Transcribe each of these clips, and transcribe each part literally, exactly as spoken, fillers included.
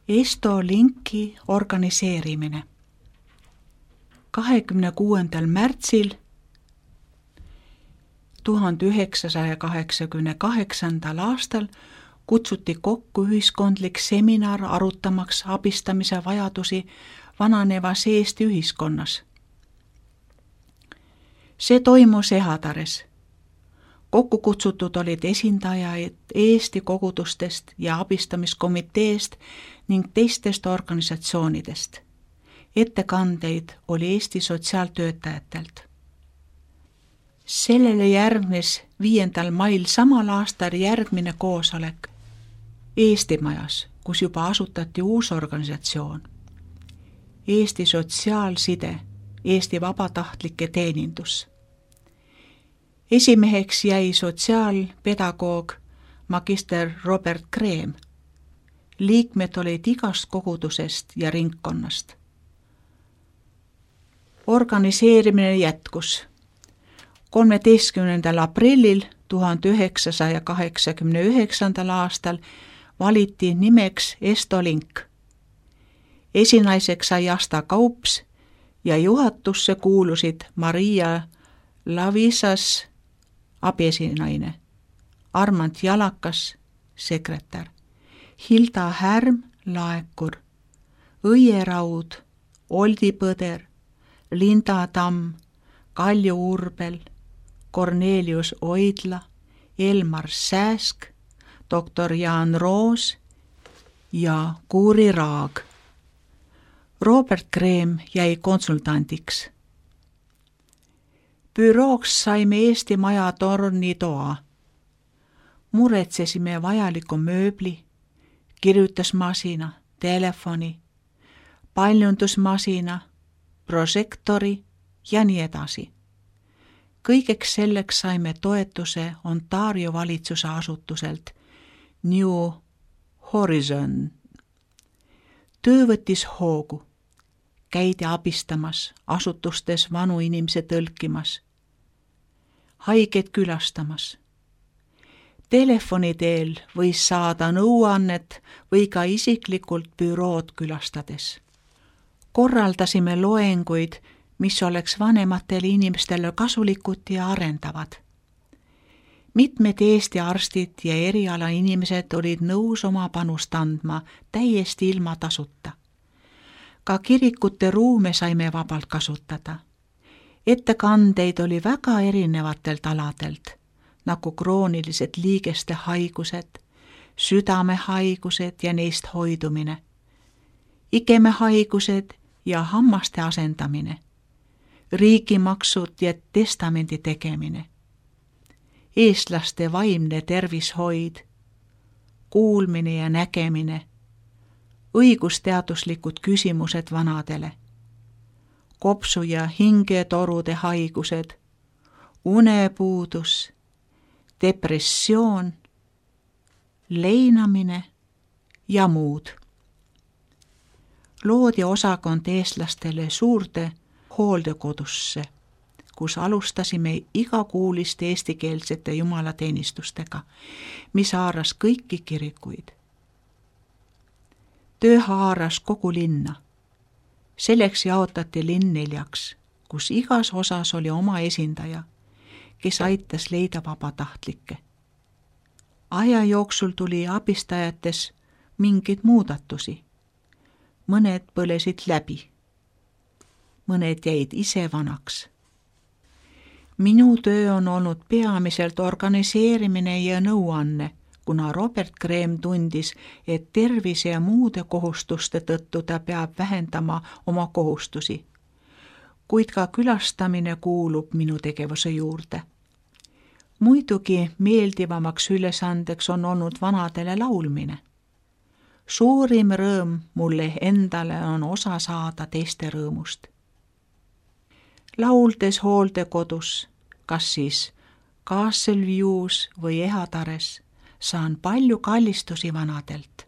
Esto Linki organiseerimine. kahekümne kuuendal märtsil tuhande üheksasaja kaheksakümne kaheksandal aastal kutsuti kokku ühiskondlik seminar arutamaks abistamise vajadusi vananevas Eesti ühiskonnas. See toimus Ehatares. Kokku kutsutud olid esindajaid Eesti kogudustest ja abistamiskomiteest ning teistest organisatsioonidest. Ettekandeid oli Eesti sotsiaaltöötajatelt. Sellele järgnes viiendal mail samal aastal järgmine koosolek Eesti Majas, kus juba asutati uus organisatsioon. Eesti Sotsiaalside, Eesti Vabatahtlike Teenindus. Esimeheks jäi sotsiaalpedagoog magister Robert Kreem. Liikmed olid igast kogudusest ja ringkonnast. Organiseerimine jätkus. kolmeteistkümnendal aprillil tuhande üheksasaja kaheksakümne üheksandal aastal valiti nimeks Esto Link. Esinaiseks sai Asta Kaups ja juhatusse kuulusid Maria Lavisas, abiesinaine, Armand Jalakas, sekretär, Hilda Härm, laekur, Õie Raud, Oldi Põder, Linda Tamm, Kalju Urbel, Kornelius Oidla, Elmar Sääsk, doktor Jaan Roos ja Kuuri Raag. Robert Kreem jäi konsultandiks. Bürooks saime Eesti Maja tornitoa. Muretsesime vajaliku mööbli, kirjutusmasina, telefoni, paljundusmasina, prožektori ja nii edasi. Kõigeks selleks saime toetuse Ontario valitsuse asutuselt New Horizon. Töö võttis hoogu. Käidi abistamas, asutustes vanu inimese tõlkimas, haiged külastamas. Telefoni teel võis saada nõuannet või ka isiklikult bürood külastades. Korraldasime loenguid, mis oleks vanematele inimestele kasulikud ja arendavad. Mitmed Eesti arstid ja eriala inimesed olid nõus oma panust andma täiesti ilma tasuta. Ka kirikute ruume saime vabalt kasutada. Ettekandeid oli väga erinevatelt aladelt, nagu kroonilised liigeste haigused, südamehaigused ja neist hoidumine, igemehaigused ja hammaste asendamine, riigimaksud ja testamendi tegemine, eestlaste vaimne tervishoid, kuulmine ja nägemine, õigusteaduslikud küsimused vanadele, kopsu- ja hingetorude haigused, unepuudus, depressioon, leinamine ja muud. Loodi osakond eestlastele suurde hooldekodusse, kus alustasime igakuuliste eestikeelsete jumalateenistustega, mis haaras kõiki kirikuid. Töö haaras kogu linna. Selleks jaotati linn neljaks, kus igas osas oli oma esindaja, kes aitas leida vabatahtlikke. Aja jooksul tuli abistajates mingeid muudatusi. Mõned põlesid läbi. Mõned jäid ise vanaks. Minu töö on olnud peamiselt organiseerimine ja nõuanne, kuna Robert Kreem tundis, et tervise ja muude kohustuste tõttu ta peab vähendama oma kohustusi. Kuid ka külastamine kuulub minu tegevuse juurde. Muidugi meeldivamaks ülesandeks on olnud vanadele laulmine. Suurim rõõm mulle endale on osa saada teiste rõõmust. Lauldes hooldekodus, kas siis Castle-View's või Ehatares, saan palju kallistusi vanadelt.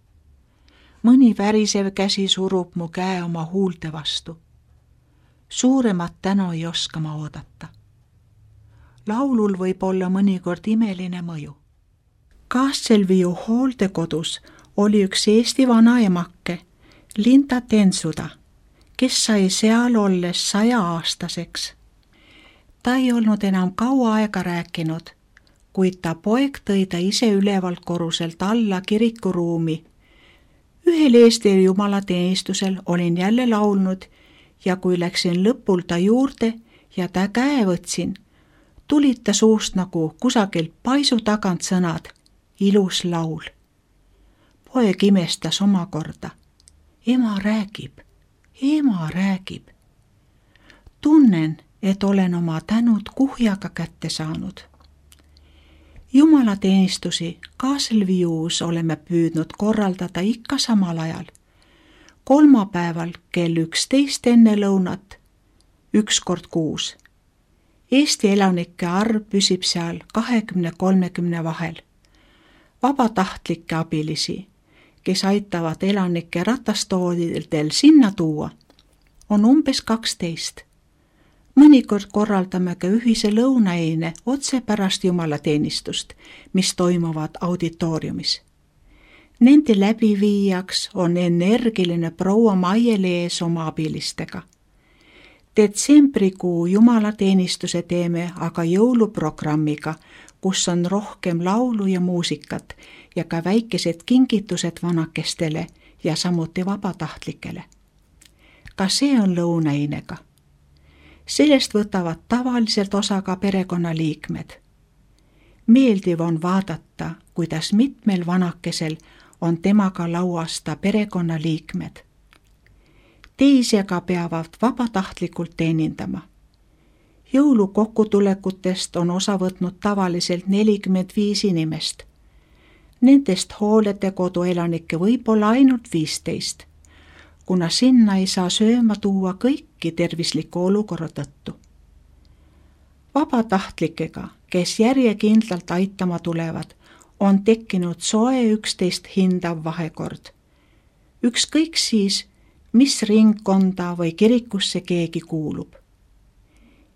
Mõni värisev käsi surub mu käe oma huulte vastu. Suuremat tänu ei oska ma oodata. Laulul võib olla mõnikord imeline mõju. Castle-View hooldekodus oli üks Eesti vanaemakke, Linda Tensuda, kes sai seal olles saja-aastaseks. Ta ei olnud enam kaua aega rääkinud, kuid ta poeg tõi ta ise ülevalt korruselt alla kirikuruumi. Ühel Eesti jumalateenistusel olin jälle laulnud ja kui läksin lõpul ta juurde ja ta käe võtsin, tulid ta suust nagu kusagilt paisu tagant sõnad, ilus laul. Poeg imestas omakorda. Ema räägib, ema räägib. Tunnen, et olen oma tänud kuhjaga kätte saanud. Jumalateenistusi Kaselvius oleme püüdnud korraldada ikka samal ajal. Kolmapäeval kell üksteist enne lõunat, üks kord kuus. Eesti elanike arv püsib seal kahekümne kolmekümne vahel. Vabatahtlikke abilisi, kes aitavad elanike ratastoolidel sinna tuua, on umbes kaksteist. Mõnikord korraldame ka ühise lõunaeine otse pärast jumalateenistust, mis toimuvad auditooriumis. Nende läbiviijaks on energiline proua Maie-Lees oma abilistega. Detsembrikuu jumalateenistuse teeme aga jõuluprogrammiga, kus on rohkem laulu ja muusikat ja ka väikesed kingitused vanakestele ja samuti vabatahtlikele. Ka see on lõunainega. Sellest võtavad tavaliselt osa ka perekonnaliikmed. Meeldiv on vaadata, kuidas mitmel vanakesel on temaga lauasta perekonnaliikmed. Teisi aga peavad vabatahtlikult teenindama. Jõulukokkutulekutest on osa võtnud tavaliselt nelikümmend viis inimest. Nendest hooletekodu elanikke võib olla ainult viisteist, kuna sinna ei saa sööma tuua kõiki tervisliku olukorra tõttu. Vabatahtlikega, kes järjekindlalt aitama tulevad, on tekkinud soe üksteist hindav vahekord. Ükskõik siis, mis ringkonda või kirikusse keegi kuulub.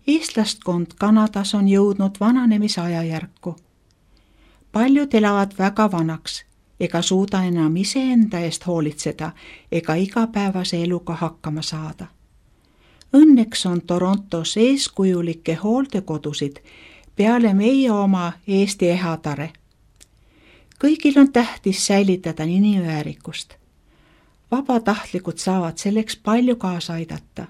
Eestlastkond Kanadas on jõudnud vananemise ajajärku. Paljud elavad väga vanaks ega suuda enam iseenda eest hoolitseda ega igapäevase eluga hakkama saada. Õnneks on Torontos eeskujulikke hooldekodusid peale meie oma Eesti Ehatare. Kõigil on tähtis säilitada inimväärikust. Vabatahtlikud saavad selleks palju kaasa aidata.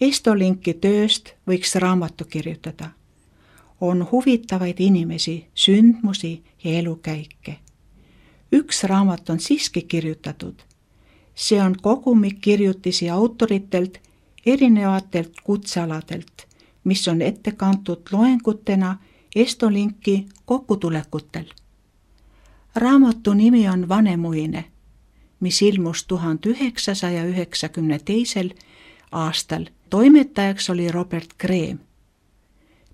Estolinki tööst võiks raamatu kirjutada. On huvitavaid inimesi, sündmusi ja elukäike. Üks raamat on siiski kirjutatud. See on kogumik kirjutisi autoritelt erinevatelt kutsealadelt, mis on ette kantud loengutena Estolinki kokkutulekutel. Raamatu nimi on Vanemuine, mis ilmus tuhande üheksasaja üheksakümne teisel aastal. Toimetajaks oli Robert Greem.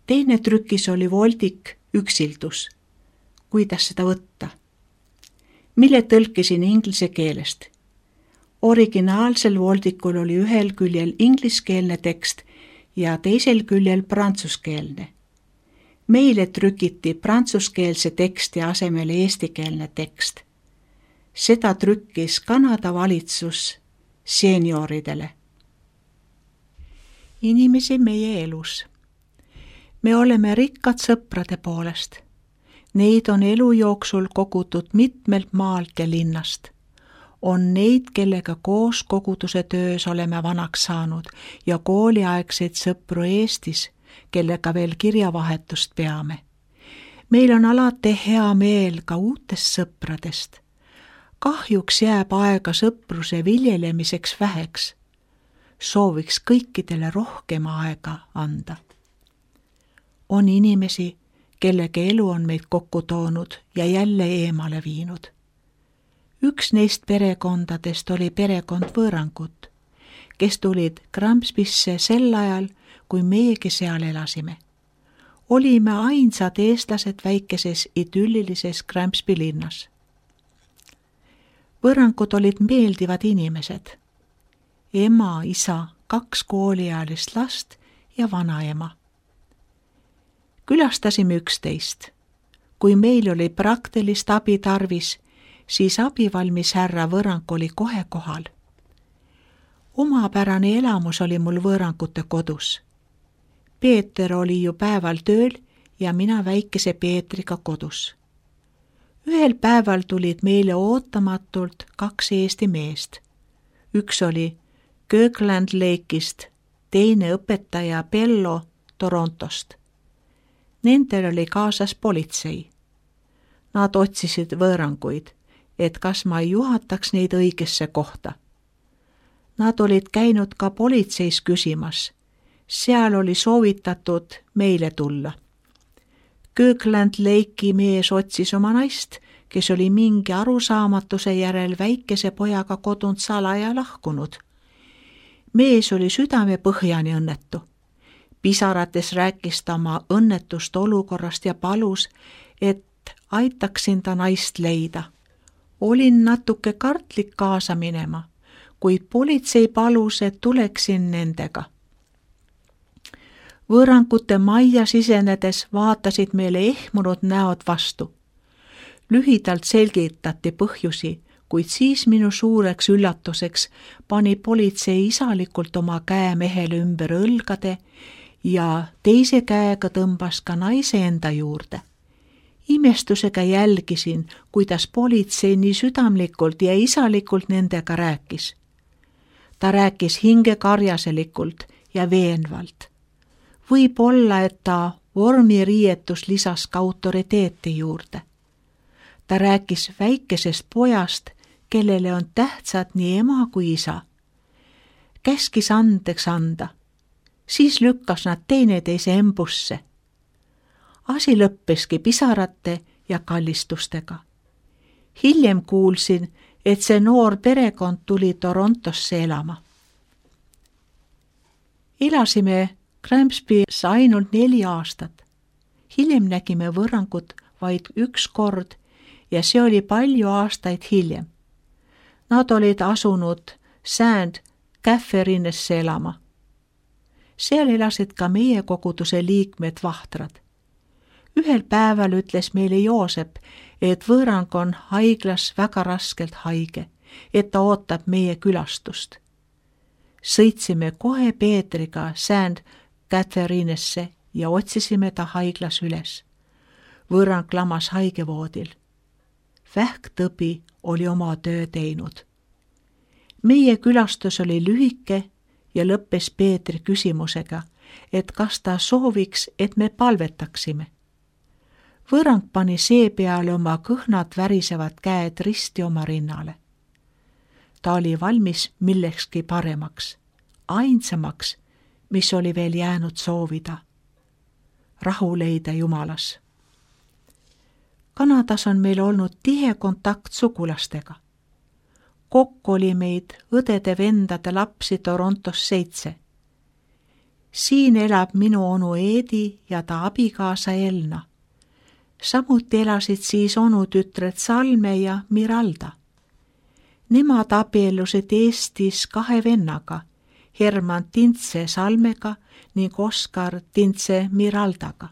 Teine trükis oli voldik Üksildus. Kuidas seda võtta? Mille tõlkisin inglise keelest. Originaalsel voldikul oli ühel küljel ingliskeelne tekst ja teisel küljel prantsuskeelne. Meile trükiti prantsuskeelse teksti asemel eestikeelne tekst. Seda trükkis Kanada valitsus senioridele. Inimesi meie elus. Me oleme rikkad sõprade poolest. Neid on elu jooksul kogutud mitmelt maalt ja linnast. On neid, kellega koos koguduse töös oleme vanaks saanud ja kooliaegseid sõpru Eestis, kellega veel kirjavahetust peame. Meil on alati hea meel ka uutest sõpradest. Kahjuks jääb aega sõpruse viljelemiseks väheks. Sooviks kõikidele rohkem aega anda. On inimesi, kellega elu on meid kokku toonud ja jälle eemale viinud. Üks neist perekondadest oli perekond Võõrangut, kes tulid Gramspisse sel ajal, kui meiegi seal elasime. Olime ainsad eestlased väikeses idüllilises Gramspi linnas. Võõrangud olid meeldivad inimesed. Ema, isa, kaks kooliealist last ja vanaema. Külastasime üksteist. Kui meil oli praktilist abi tarvis, siis abivalmis härra Võrrank oli kohe kohal. Omapärane elamus oli mul Võrrankute kodus. Peeter oli ju päeval tööl ja mina väikese Peetriga kodus. Ühel päeval tulid meile ootamatult kaks Eesti meest. Üks oli Kirkland Lake'ist, teine õpetaja Bello Torontost. Nendel oli kaasas politsei. Nad otsisid Võrranguid, et kas ma juhataks neid õigesse kohta. Nad olid käinud ka politseis küsimas. Seal oli soovitatud meile tulla. Kirkland Lake'i mees otsis oma naist, kes oli mingi arusaamatuse järel väikese pojaga kodunt salaja lahkunud. Mees oli südame põhjani õnnetu. Pisarates rääkis ta oma õnnetust olukorrast ja palus, et aitaksin ta naist leida. Olin natuke kartlik kaasa minema, kuid politsei palus, et tuleksin nendega. Võrrankute majja sisenedes vaatasid meile ehmunud näod vastu. Lühidalt selgitati põhjusi, kuid siis minu suureks üllatuseks pani politsei isalikult oma käe mehele ümber õlgade ja teise käega tõmbas ka naise enda juurde. Imestusega jälgisin, kuidas politsei nii südamlikult ja isalikult nendega rääkis. Ta rääkis hingekarjaselikult ja veenvalt. Võib olla, et ta vormiriietus lisas ka autoriteeti juurde. Ta rääkis väikesest pojast, kellele on tähtsad nii ema kui isa. Käskis andeks anda. Siis lükkas nad teineteise embusse. Asi lõppeski pisarate ja kallistustega. Hiljem kuulsin, et see noor perekond tuli Torontosse elama. Elasime Grimsby's ainult neli aastat. Hiljem nägime Võrrangut vaid üks kord ja see oli palju aastaid hiljem. Nad olid asunud Saint Catherine'sse elama. Seal elasid ka meie koguduse liikmed vahtrad. Ühel päeval ütles meile Joosep, et Võrrang on haiglas väga raskelt haige, et ta ootab meie külastust. Sõitsime kohe Peetriga Saint Catherine'sse ja otsisime ta haiglas üles. Võrrang lamas haigevoodil. Vähktõbi oli oma töö teinud. Meie külastus oli lühike ja lõppes Peetri küsimusega, et kas ta sooviks, et me palvetaksime. Võrrang pani seepeale oma kõhnad värisevad käed risti oma rinnale. Ta oli valmis millekski paremaks, ainsamaks, mis oli veel jäänud soovida. Rahu leida Jumalas. Kanadas on meil olnud tihe kontakt sugulastega. Kokku oli meid õdede-vendade lapsi Torontos seitse. Siin elab minu onu Eedi ja ta abikaasa Elna. Samuti elasid siis onutütred Salme ja Miralda. Nemad abiellusid Eestis kahe vennaga, Herman Tintse Salmega ning Oskar Tintse Miraldaga.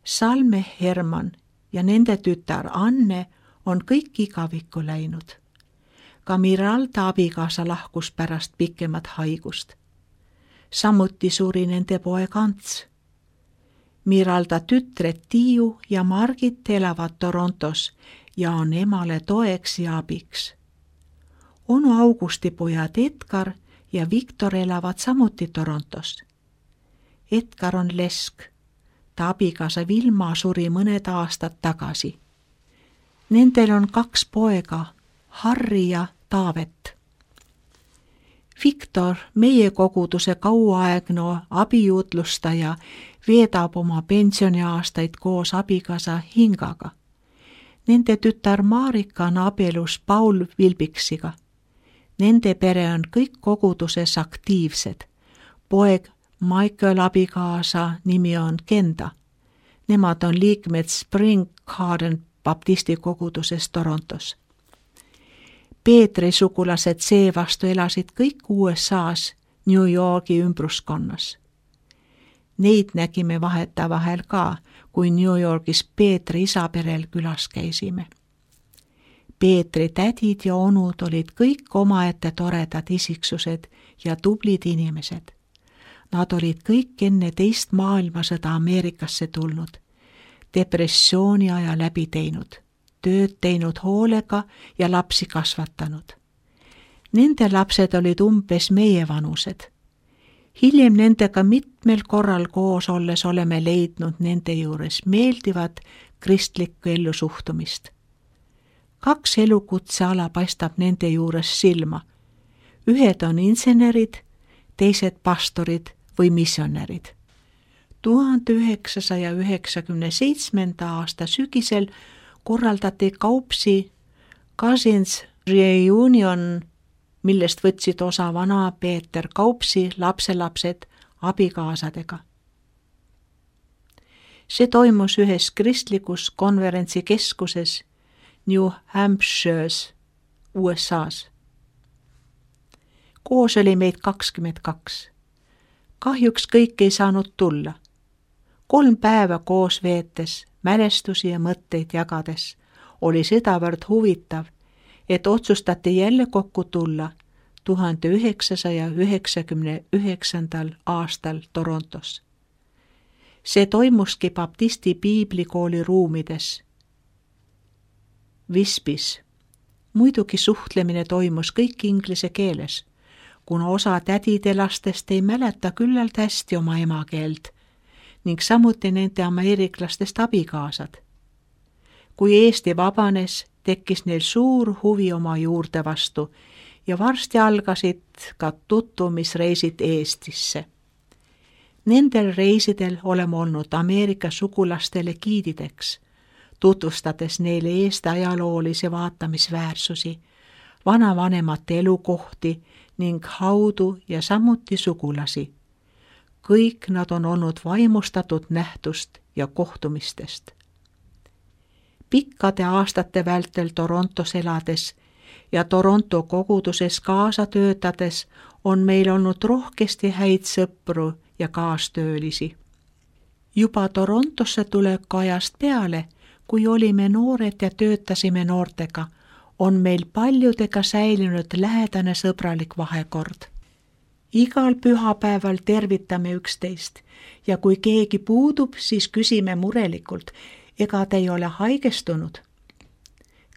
Salme Herman ja nende tütar Anne on kõik igavikku läinud. Ka Miralda abikaasa lahkus pärast pikemat haigust. Samuti suri nende poeg Ants. Miralda tütred Tiiu ja Margit elavad Torontos ja on emale toeks ja abiks. Onu Augusti pojad Edgar ja Viktor elavad samuti Torontos. Edgar on lesk. Ta abikaasa Vilma suri mõned aastad tagasi. Nendel on kaks poega, Harri ja Taavet. Viktor, meie koguduse kauaaegne abijuutlustaja, veedab oma pensioniaastaid koos abikaasa Hingaga. Nende tütar Marika on abielus Paul Vilbiksiga. Nende pere on kõik koguduses aktiivsed. Poeg Michael abikaasa nimi on Kenda. Nemad on liikmed Spring Garden baptisti koguduses Torontos. Peetri sugulased seevastu elasid kõik U S A-s New Yorgi ümbruskonnas. Neid nägime vahetevahel ka, kui New Yorgis Peetri isaperel külas käisime. Peetri tädid ja onud olid kõik omaette toredad isiksused ja tublid inimesed. Nad olid kõik enne teist maailmasõda Ameerikasse tulnud, depressiooni aja läbi teinud, tööd teinud hoolega ja lapsi kasvatanud. Nende lapsed olid umbes meie vanused. Hiljem nendega mitmel korral koos olles oleme leidnud nende juures meeldivat kristlikku ellusuhtumist. Kaks elukutseala paistab nende juures silma. Ühed on insenerid, teised pastorid või missionärid. tuhande üheksasaja üheksakümne seitsmenda aasta sügisel korraldati Kaupsi Cousins Reunion, millest võtsid osa vana Peeter Kaupsi lapselapsed abikaasadega. See toimus ühes kristlikus konverentsikeskuses New Hampshire's, U S A-s. Koos oli meid kakskümmend kaks. Kahjuks kõik ei saanud tulla. Kolm päeva koos veetes, mälestusi ja mõtteid jagades oli sedavõrd huvitav, et otsustati jälle kokku tulla tuhande üheksasaja üheksakümne üheksandal aastal Torontos. See toimuski baptisti piiblikooli ruumides Vispis. Muidugi suhtlemine toimus kõik inglise keeles, kuna osa tädide lastest ei mäleta küllalt hästi oma emakeelt ning samuti nende ameeriklastest abikaasad. Kui Eesti vabanes, tekkis neil suur huvi oma juurde vastu ja varsti algasid ka tutvumisreisid Eestisse. Nendel reisidel oleme olnud Ameerika sugulastele giidideks, tutvustades neile Eesti ajaloolisi vaatamisväärsusi, vanavanemate elukohti ning haudu ja samuti sugulasi. Kõik nad on olnud vaimustatud nähtust ja kohtumistest. Pikkade aastate vältel Torontos elades ja Toronto koguduses kaasa töötades on meil olnud rohkesti häid sõpru ja kaastöölisi. Juba Torontosse tuleku ajast peale, kui olime noored ja töötasime noortega, on meil paljudega säilinud lähedane sõbralik vahekord. Igal pühapäeval tervitame üksteist ja kui keegi puudub, siis küsime murelikult, ega te ei ole haigestunud.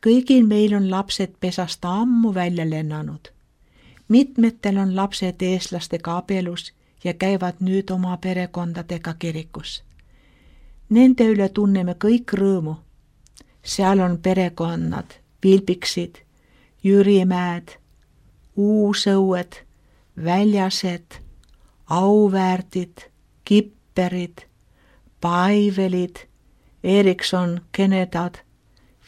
Kõigil meil on lapsed pesast ammu välja lennanud. Mitmetel on lapsed eestlastega abielus ja käivad nüüd oma perekondadega kirikus. Nende üle tunneme kõik rõõmu. Seal on perekonnad Vilbiksid, Jürimäed, Uusõued, Väljased, Auväärtid, Kipperid, Paivelid, Erikson, Kenedad,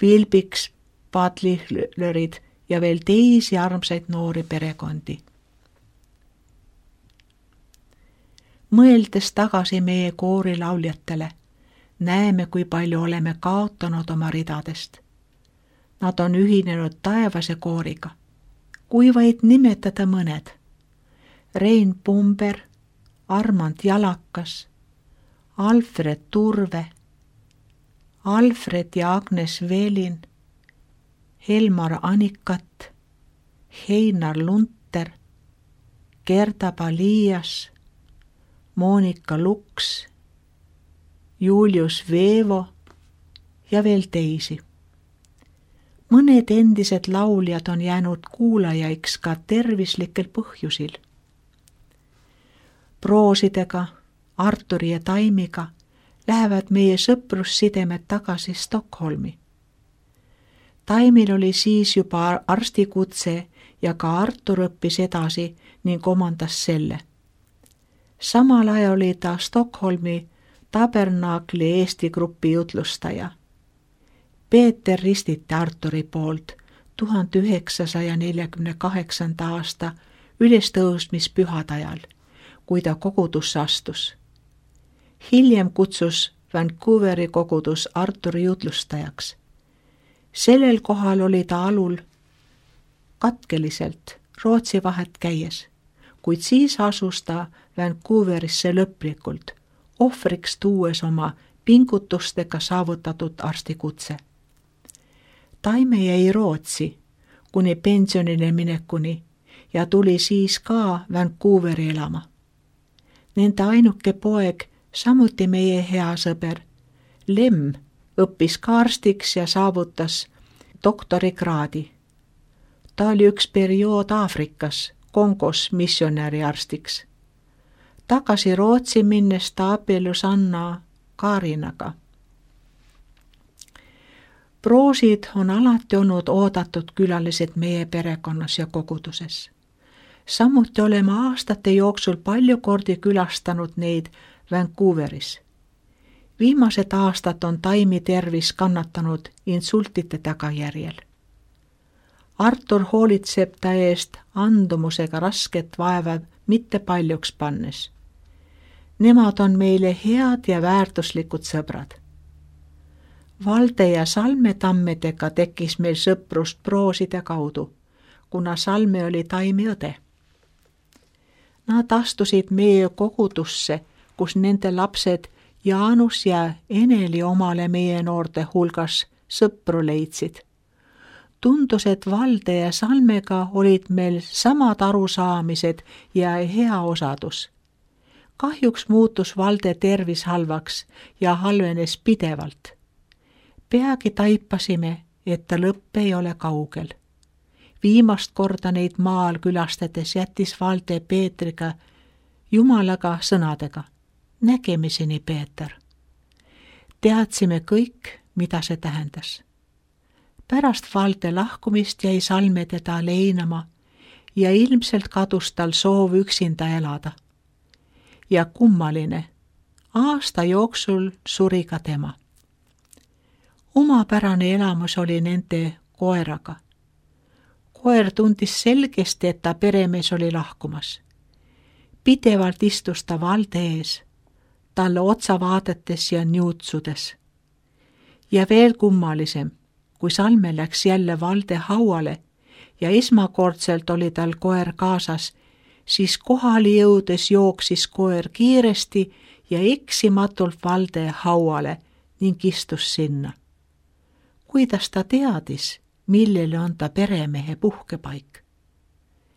Vilbiks, Padlihlerid ja veel teisi armsaid noori perekondi. Mõeldes tagasi meie koorilauljatele, näeme, kui palju oleme kaotanud oma ridadest. Nad on ühinenud Taevase kooriga. Kui vaid nimetada mõned. Rein Pumber, Armand Jalakas, Alfred Turve, Alfred ja Agnes Velin, Helmar Anikat, Heinar Lunter, Gerda Palias, Monika Luks, Julius Veevo ja veel teisi. Mõned endised lauljad on jäänud kuulajaiks ka tervislikel põhjusil. Proosidega, Arturi ja Taimiga lähevad meie sõprussidemed tagasi Stockholmi. Taimil oli siis juba arstikutse ja ka Artur õppis edasi ning omandas selle. Samal ajal oli ta Stockholmi Tabernaakli Eesti grupi jutlustaja. Peeter ristiti Arturi poolt tuhande üheksasaja neljakümne kaheksanda aasta ülestõusmispühade ajal, kui ta kogudusse astus. Hiljem kutsus Vancouveri kogudus Arturi jutlustajaks. Sellel kohal oli ta alul katkeliselt Rootsi vahet käies, kuid siis asus ta Vancouverisse lõplikult, ohvriks tuues oma pingutustega saavutatud arstikutse. Taime jäi Rootsi, kuni pensionille minekuni, ja tuli siis ka Vancouveri elama. Nende ainuke poeg, samuti meie hea sõber, Lem, õppis ka arstiks ja saavutas doktorikraadi. Ta oli üks periood Aafrikas, Kongos missionääriarstiks. Tagasi Rootsi minnes ta abiellus Anna Kaarinaga. Proosid on alati olnud oodatud külalised meie perekonnas ja koguduses. Samuti oleme aastate jooksul palju kordi külastanud neid Vancouveris. Viimased aastad on Taimi tervis kannatanud insultide tagajärjel. Artur hoolitseb ta eest andumusega rasket vaeva mitte paljuks pannes. Nemad on meile head ja väärtuslikud sõbrad. Valde ja Salme tammedega tekkis meil sõprust Prooside kaudu, kuna Salme oli Taimi õde. Nad astusid meie kogudusse, kus nende lapsed Jaanus ja Eneli omale meie noorte hulgas sõpru leidsid. Tundus, et Valde ja Salmega olid meil samad arusaamised ja hea osadus. Kahjuks muutus Valde tervis halvaks ja halvenes pidevalt. Peagi taipasime, et ta lõpp ei ole kaugel. Viimast korda neid maal külastades jättis Valde Peetriga Jumalaga sõnadega: nägemiseni, Peeter. Teadsime kõik, mida see tähendas. Pärast Valde lahkumist jäi Salme teda leinama ja ilmselt kadus tal soov üksinda elada. Ja kummaline, aasta jooksul suri ka tema. Omapärane elamus oli nende koeraga. Koer tundis selgesti, et ta peremees oli lahkumas. Pidevalt istus ta Valde ees, talle otsa vaadates ja niutsudes. Ja veel kummalisem, kui Salme läks jälle Valde hauale ja esmakordselt oli tal koer kaasas, siis kohale jõudes jooksis koer kiiresti ja eksimatult Valde hauale ning istus sinna. Kuidas ta teadis, millele on ta peremehe puhkepaik?